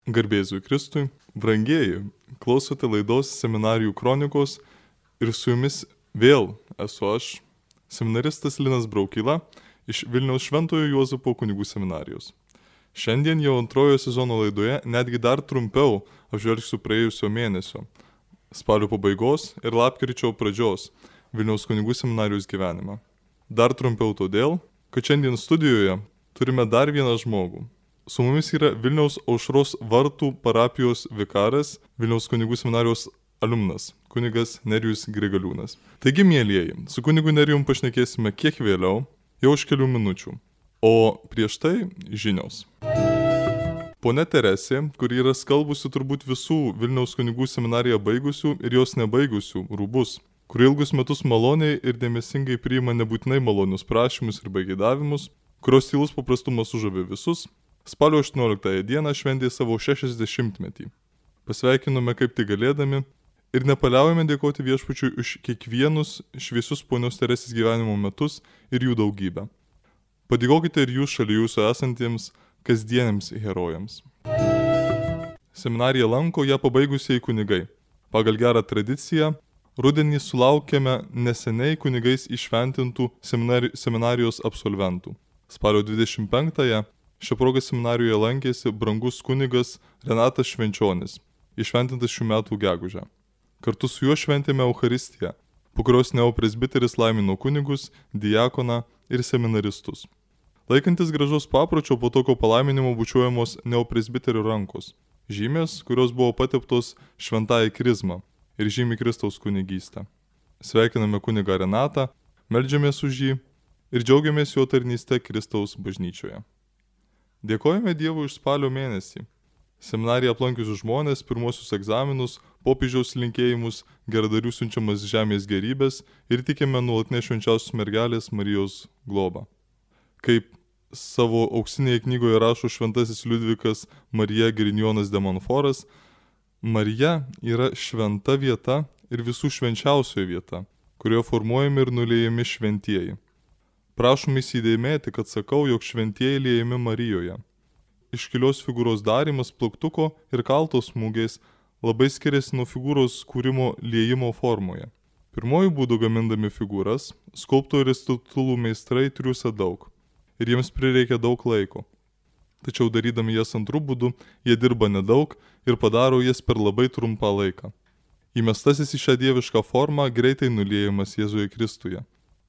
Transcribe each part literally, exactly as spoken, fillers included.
Garbėzui Kristui, brangieji, klausote laidos Seminarijų kronikos ir su jumis vėl esu aš, seminaristas Linas Braukyla iš Vilniaus Šventojo Juozapo kunigų seminarijos. Šiandien jau antrojo sezono laidoje netgi dar trumpiau apžvelgsiu praėjusio mėnesio, spalio pabaigos ir lapkričio pradžios Vilniaus kunigų seminarijos gyvenimą. Dar trumpiau todėl, kad šiandien studijoje turime dar vieną žmogų. Su mumis yra Vilniaus Aušros vartų parapijos vikaras, Vilniaus kunigų seminarijos alumnas, kunigas Nerijus Grigaliūnas. Taigi, mielieji, su kunigu Nerijum pašnekėsime kiek vėliau, jau už kelių minučių. O prieš tai žinios. Ponia Teresė, kuri yra skalbusi turbūt visų Vilniaus kunigų seminariją baigusių ir jos nebaigusių rūbus, kuri ilgus metus maloniai ir dėmesingai priima nebūtinai malonius prašymus ir baigidavimus, kurios tylus paprastumas sužavė visus, spalio aštuonioliktąją dieną šventė savo šešiasdešimtmetį. Pasveikinome kaip tik galėdami ir nepaliaujame dėkoti viešpačiui už kiekvienus šviesius ponios Teresės gyvenimo metus ir jų daugybę. Padėkokite ir jūs šalia jūsų esantiems kasdieniams herojams. Seminariją lanko ją pabaigusieji kunigai. Pagal gerą tradiciją, rudenį sulaukėme neseniai kunigais išventintų seminari- seminarijos absolventų. Spalio dvidešimt penktąją šią progą seminarijoje lankėsi brangus kunigas Renatas Švenčionis, išventintas šių metų gegužę. Kartu su juo šventėme Eucharistiją, po kurios neopresbiteris laimino kunigus, diakoną ir seminaristus. Laikantis gražos papročio, po tokio palaiminimo bučiuojamos neopresbiterio rankos, žymės, kurios buvo pateptos šventąją krizmą ir žymi Kristaus kunigystę. Sveikiname kunigą Renatą, meldžiamės už jį ir džiaugiamės jo tarnyste Kristaus bažnyčioje. Dėkojame Dievui už spalio mėnesį. Seminariją aplankiusius žmonės, pirmosius egzaminus, popiežiaus linkėjimus, geradarių siunčiamas žemės gerybės ir tikime nuolatinę švenčiausios mergelės Marijos globą. Kaip savo auksinėje knygoje rašo šventasis Liudvikas Marija Grignijonas de Montforas, Marija yra šventa vieta ir visų švenčiausioji vieta, kurioje formuojami ir nuliejami šventieji. Prašom įsidėmėti, kad sakau, jog šventieji liejami Marijoje. Iškilios figūros darymas plaktuko ir kaltos smūgiais labai skiriasi nuo figūros kūrimo liejimo formoje. Pirmojų būdų gamindami figūras, skulptoriai ir statulų meistrai triūsia daug ir jiems prireikia daug laiko. Tačiau darydami jas antrų būdų, jie dirba nedaug ir padaro jas per labai trumpą laiką. Įmestasis į šią dievišką formą greitai nuliejamas Jėzuje Kristuje,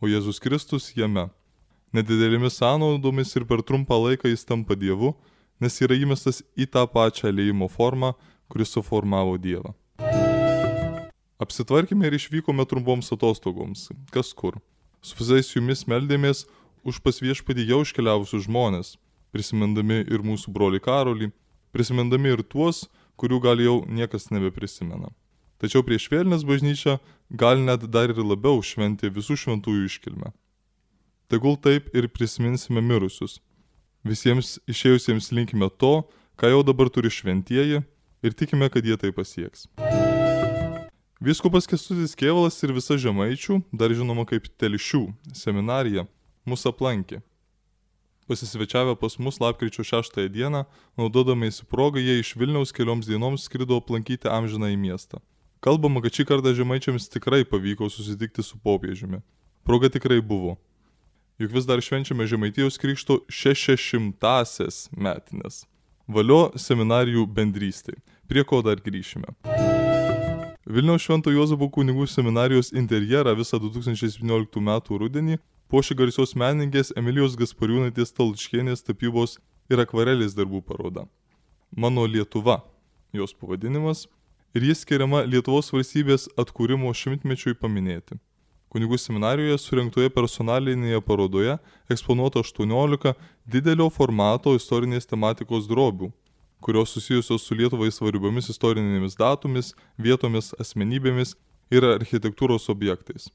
o Jėzus Kristus jame. Nedidelėmis sąnaudomis ir per trumpą laiką jis tampa Dievu, nes yra įmestas į tą pačią liejimo formą, kuris suformavo Dievą. Apsitvarkime ir išvykome trumpoms atostogoms, kas kur. Su visais jumis meldėmės už pas viešpatį jau iškeliavusius žmonės, prisimindami ir mūsų brolį Karolį, prisimindami ir tuos, kurių gal jau niekas nebeprisimena. Tačiau prieš vėlines bažnyčia gal net dar ir labiau šventė visų šventųjų iškilmę. Tegul taip ir prisiminsime mirusius. Visiems išėjusiems linkime to, ką jau dabar turi šventieji ir tikime, kad jie tai pasieks. Vyskupas Kęstutis Kėvalas ir visa Žemaičių, dar žinoma kaip Telšių seminarija, mus aplankė. Pasisvečiavę pas mus lapkričio šeštąją dieną, naudodamiesi progą, jie iš Vilniaus kelioms dienoms skrido aplankyti amžiną į miestą. Kalbama, kad šį kartą žemaičiams tikrai pavyko susitikti su popiežiumi. Proga tikrai buvo. Juk vis dar švenčiame Žemaitijos krikšto šešiasdešimtąsias metines. Valio seminarijų bendrystė. Prie ko dar grįšime. Vilniaus Švento Juozapo kunigų seminarijos interjerą visą du tūkstančiai septynioliktų metų rudenį puošė garsios menininkės Emilijos Gaspariūnaitės Talčkienės tapybos ir akvarelės darbų paroda. Mano Lietuva, jos pavadinimas, ir jis skiriama Lietuvos valstybės atkūrimo šimtmečiui paminėti. Kunigų seminarijoje surengtoje personalinėje parodoje eksponuota aštuoniolika didelio formato istorinės tematikos drobių, kurios susijusios su Lietuvai svarbiomis istorinėmis datomis, vietomis, asmenybėmis ir architektūros objektais.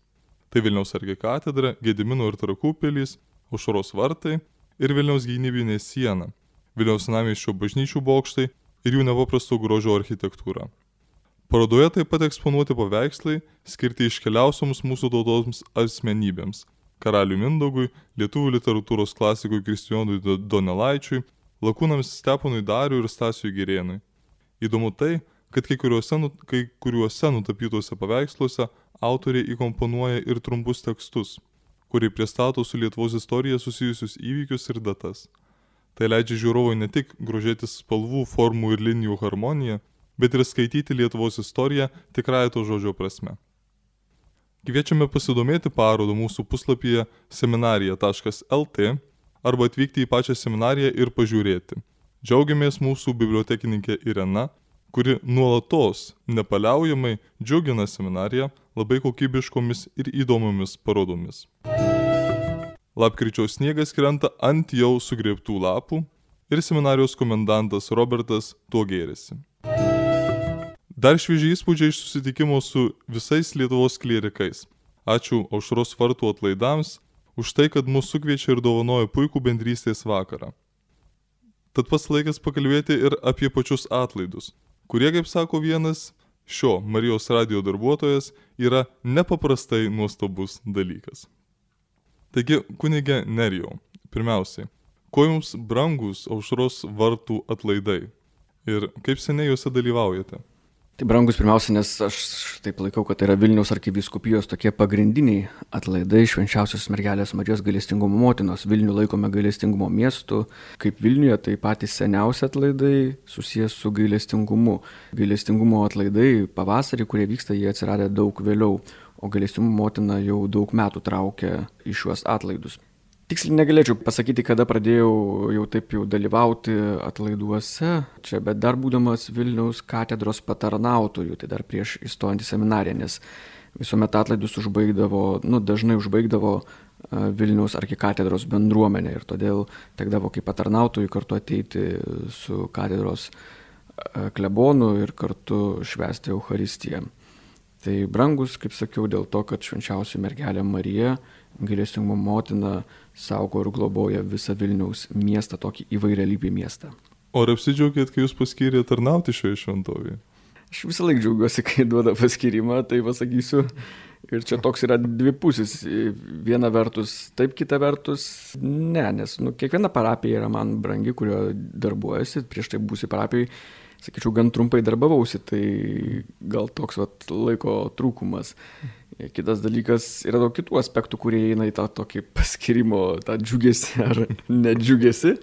Tai Vilniaus arkikatedra, Gedimino ir Trakų pilys, Aušros vartai ir Vilniaus gynybinė siena, Vilniaus senamiesčio bažnyčių bokštai ir jų nepaprasto grožio architektūra. Parodoje taip pat eksponuoti paveikslai, skirti iškeliausioms mūsų tautoms asmenybėms – karaliui Mindaugui, lietuvių literatūros klasikui Kristijonui Donelaičiui, lakūnams Steponui Dariui ir Stasiui Girėnui, Įdomu tai, kad kai kuriuose, kai kuriuose nutapytuose paveiksluose autoriai įkomponuoja ir trumpus tekstus, kurie pristato su Lietuvos istorija susijusius įvykius ir datas. Tai leidžia žiūrovui ne tik grožėtis spalvų, formų ir linijų harmoniją, bet ir skaityti Lietuvos istoriją tikrąja to žodžio prasme. Kviečiame pasidomėti parodą mūsų puslapyje seminarija taškas el tė arba atvykti į pačią seminariją ir pažiūrėti. Džiaugiamės mūsų bibliotekininkė Irena, kuri nuolatos nepaliaujamai džiugina seminariją labai kokybiškomis ir įdomiomis parodomis. Lapkričio sniegas krenta ant jau sugrėbtų lapų ir seminarijos komendantas Robertas tuo gėrisi. Dar švieži įspūdžiai iš susitikimo su visais Lietuvos klierikais. Ačiū Aušros vartų atlaidams už tai, kad mus sukviečia ir dovanoja puikų bendrystės vakarą. Tad pats laikas pakalbėti ir apie pačius atlaidus, kurie, kaip sako vienas šio Marijos radijo darbuotojas, yra nepaprastai nuostabus dalykas. Taigi, kunige Nerijau, pirmiausiai, kuo jums brangus Aušros vartų atlaidai ir kaip seniai juose dalyvaujate? Tai brangus pirmiausia, nes aš taip laikau, kad tai yra Vilniaus arkivyskupijos tokie pagrindiniai atlaidai švenčiausios mergelės Marijos gailestingumo motinos. Vilnių laikome gailestingumo miestu, kaip Vilniuje tai patys seniausi atlaidai susijęs su gailestingumu. Gailestingumo atlaidai pavasarį, kurie vyksta, jie atsiradę daug vėliau, o gailestingumo motina jau daug metų traukia į šiuos atlaidus. Tiksliai negalėčiau pasakyti, kada pradėjau jau taip jau dalyvauti atlaiduose čia, bet dar būdamas Vilniaus katedros patarnautojų, tai dar prieš įstojant į seminariją, nes visuomet atlaidus užbaigdavo, nu dažnai užbaigdavo Vilniaus arkikatedros bendruomenė ir todėl tekdavo kaip patarnautojų kartu ateiti su katedros klebonu ir kartu švęsti Eucharistiją. Tai brangus, kaip sakiau, dėl to, kad švenčiausia mergelė Marija, gailestingumo motina, saugo ir globoja visą Vilniaus miestą, tokį įvairialypį miestą. O ar apsidžiaugėt, kai jūs paskyrė tarnauti šioje šventovėje? Aš visą laiką džiaugiuosi, kai duoda paskyrimą, tai pasakysiu. Ir čia toks yra dvipusis. Viena vertus taip, kita vertus ne, nes nu, kiekviena parapija yra man brangi, kurio darbuojasi. Prieš tai būsi parapijai, sakyčiau, gan trumpai darbavausi, tai gal toks vat, laiko trūkumas. Kitas dalykas yra daug kitų aspektų, kurie eina į tą tokį paskirimo, tą džiugesi ar nedžiugesi,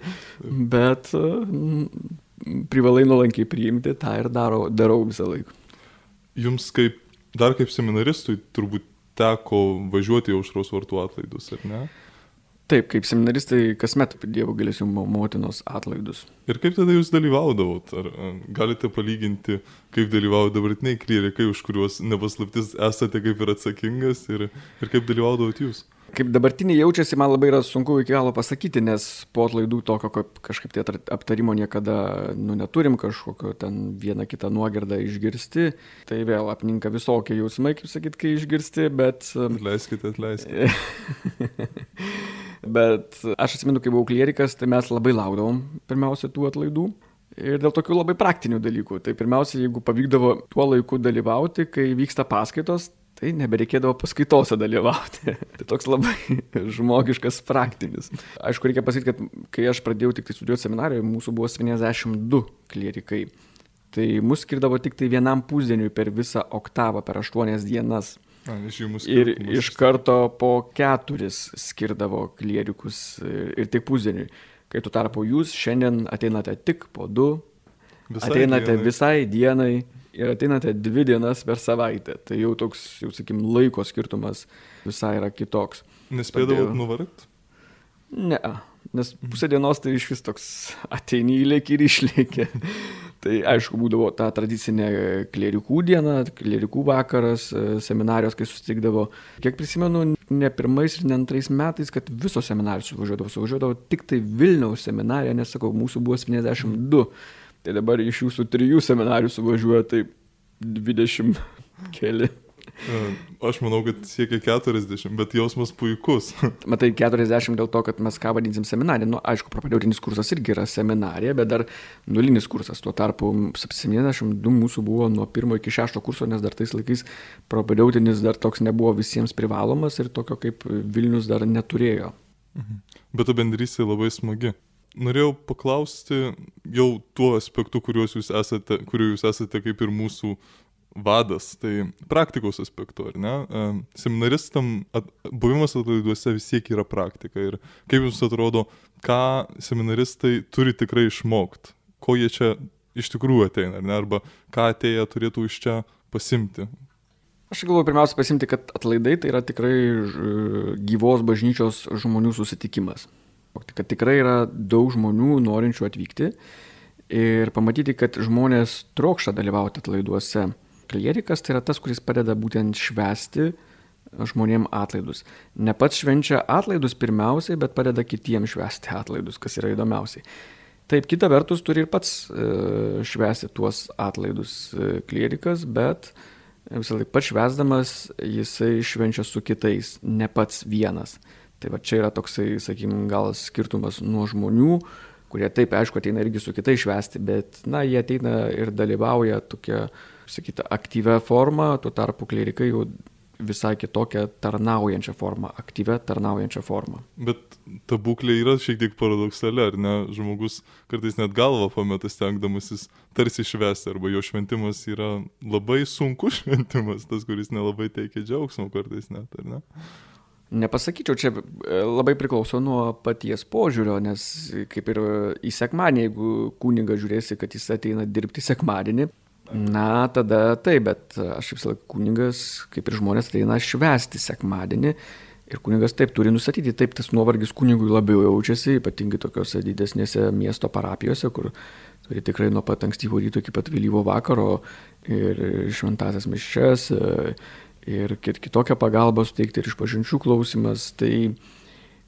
bet mm, privalai nuolankiai priimti, tą ir daro, darau visą laiką. Jums kaip, dar kaip seminaristui turbūt teko važiuoti į Aušros vartų atlaidus, ar ne? Taip, kaip seminaristai kasmet Dievo gailestingumo motinos atlaidus. Ir kaip tada jūs dalyvaudavot? Ar galite palyginti, kaip dalyvauja dabartiniai klierikai, už kuriuos nepaslaptis esate kaip ir atsakingas, ir, ir kaip dalyvaudavot jūs? Kaip dabartiniai jaučiasi, man labai yra sunku iki galo pasakyti, nes po atlaidų tokio kažkaip tai aptarimo niekada nu, neturim, kažkokio ten vieną kitą nuogirdą išgirsti. Tai vėl apninka visokie jausmai, kaip sakyt, kai išgirsti, bet... Atleiskite, atleiskite. Bet aš atsimenu, kai buvau klierikas, tai mes labai laukdavom pirmiausia tų atlaidų. Ir dėl tokių labai praktinių dalykų. Tai pirmiausia, jeigu pavykdavo tuo laiku dalyvauti, kai vyksta paskaitos, tai nebereikėdavo paskaitose dalyvauti. Tai toks labai žmogiškas, praktinis. Aišku, reikia pasakyti, kad kai aš pradėjau tik tai studijuoti seminarijoje, mūsų buvo septyniasdešimt du klierikai. Tai mus skirdavo tik tai vienam pusdieniui per visą oktavą, per aštuonias dienas. A, ir iš karto po keturis skirdavo klierikus ir, ir tik pusdieniui. Kai tu tarpu jūs šiandien ateinate tik po du, visai ateinate dienai. visai dienai ir ateinate dvi dienas per savaitę. Tai jau toks, jau sakykim, laiko skirtumas visai yra kitoks. Nespėdavot nuvargt? Ne, nes pusę dienos tai iš vis toks ateini įlėki ir išlėki. Tai aišku, būdavo ta tradicinė klierikų diena, klierikų vakaras, seminarijos, kai susitikdavo. Kiek prisimenu, ne pirmais ir ne antrais metais, kad visos seminarijos suvažiuodavo. Suvažiuodavo tik tai Vilniaus seminarija, nes sakau, mūsų buvo septyniasdešimt du. Tai dabar iš jūsų trijų seminarijų suvažiuoja taip dvidešimt keli. Aš manau, kad siekia keturiasdešimt, bet jausmas puikus. Matai, keturiasdešimt dėl to, kad mes ką vadinsim seminariją. Nu, aišku, propedeutinis kursas irgi yra seminarija, bet dar nulinis kursas. Tuo tarpu septyniasdešimt du mūsų buvo nuo pirmo iki šešto kurso, nes dar tais laikais propedeutinis dar toks nebuvo visiems privalomas ir tokio kaip Vilnius dar neturėjo. Bet ta bendrystė labai smagi. norėjau paklausti jau tuo aspektu, kuriuos jūs esate, kuriuo jūs esate kaip ir mūsų vadas, tai praktikos aspektu, ar ne? Seminaristam at, buvimas atlaiduose vis tiek yra praktika. Ir kaip jums atrodo, ką seminaristai turi tikrai išmokti? Ko jie čia iš tikrųjų ateina, ar ne? Arba ką atėję turėtų iš čia pasimti? Aš galvoju pirmiausia pasimti, kad atlaidai tai yra tikrai gyvos bažnyčios žmonių susitikimas. Kad tikrai yra daug žmonių norinčių atvykti ir pamatyti, kad žmonės trokšta dalyvauti atlaiduose. Klierikas tai yra tas, kuris padeda būtent švęsti žmonėm atlaidus. Ne pats švenčia atlaidus pirmiausiai, bet padeda kitiems švęsti atlaidus, kas yra įdomiausiai. Taip, kita vertus turi ir pats e, švęsti tuos atlaidus e, klierikas, bet visą laiką pats švęsdamas jisai švenčia su kitais, ne pats vienas. Tai va čia yra toksai, sakykim, gal skirtumas nuo žmonių, kurie taip, aišku, ateina irgi su kitais švęsti, bet, na, jie ateina ir dalyvauja tokia, sakyta, aktyvia forma, tuo tarpu klierikai jau visai kitokią tarnaujančią formą, aktyvę tarnaujančią formą. Bet ta būklė yra šiek tiek paradoksali, ar ne? Žmogus kartais net galvą pameta stengdamasis tarsi švęsti, arba jo šventimas yra labai sunkus šventimas, tas, kuris nelabai teikia džiaugsmo kartais net, ar ne? Nepasakyčiau, čia labai priklauso nuo paties požiūrio, nes kaip ir į sekmadienį, jeigu kunigas žiūrėsi, kad jis ateina dirbti sekmadienį, na, tada taip, bet aš visą laiką kunigas, kaip ir žmonės, ateina švęsti sekmadienį ir kunigas taip turi nustatyti, taip tas nuovargis kunigui labiau jaučiasi, ypatingai tokiose didesnėse miesto parapijose, kur turi tikrai nuo pat ankstyvo ryto iki pat vėlyvo vakaro ir šventasias mišias ir kitokią pagalbą suteikti ir išpažinčių klausimas. Tai,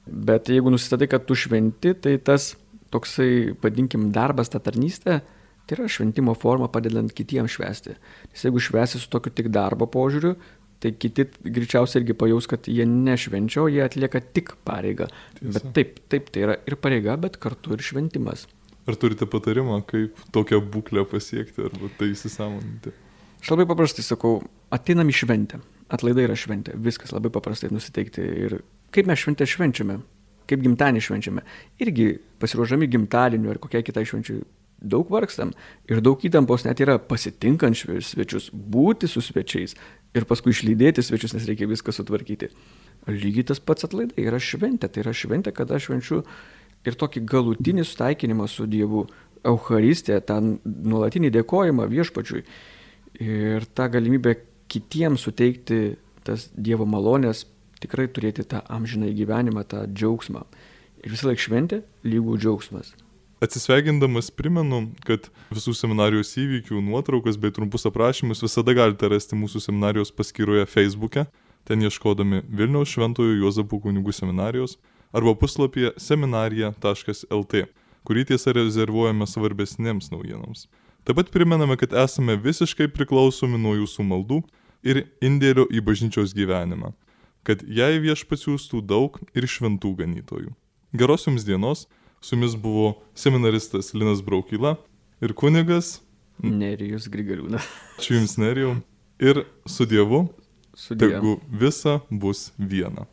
bet jeigu nusistatai, kad tu šventi, tai tas toksai, vadinkim, darbas, ta tarnystė, tai yra šventimo forma padedant kitiems švęsti. Nes jeigu švęsi su tokiu tik darbo požiūriu, tai kiti greičiausiai irgi pajaus, kad jie nešvenčia, o jie atlieka tik pareigą. Tiesa. Bet taip, taip, tai yra ir pareiga, bet kartu ir šventimas. Ar turite patarimą, kaip tokią būklę pasiekti arba tai įsisąmoninti? Aš labai paprastai sakau, ateinam į šventę. Atlaidai yra šventė. Viskas labai paprastai nusiteikti. Ir kaip mes šventę švenčiame, kaip gimtadienį švenčiame. Irgi pasiruošdami gimtadieniu ar kokiai kitai švenčiai daug vargstam ir daug įtampos net yra pasitinkant svečius, būti su svečiais ir paskui išlydėti svečius, nes reikia viską sutvarkyti. Lygiai tas pats atlaidai yra šventė. Tai yra šventė, kada aš švenčiu ir tokį galutinį sutaikinimą su Dievu, Eucharistiją, tą nuolatinį dėkojimą viešpačiui ir tą galimybę kitiems suteikti tas Dievo malonės, tikrai turėti tą amžinąjį gyvenimą, tą džiaugsmą. Ir visą laiką šventė lygų džiaugsmas. Atsisveikindamas primenu, kad visų seminarijos įvykių nuotraukas bei trumpus aprašymus visada galite rasti mūsų seminarijos paskyroje Facebook'e, ten ieškodami Vilniaus Šventojo Juozapo kunigų seminarijos arba puslapyje seminarija taškas el tė, kurį tiesa rezervuojame svarbesnėms naujienoms. Taip pat primename, kad esame visiškai priklausomi nuo jūsų maldų ir indėlio į bažnyčios gyvenimą, kad jai viešpats siųstų daug ir šventų ganytojų. Geros jums dienos! Su jumis buvo seminaristas Linas Braukyla ir kunigas Nerijus Grigaliūnas. Ačiū jums, Nerijau. Ir su Dievu, su Dievu. tegu visa bus viena.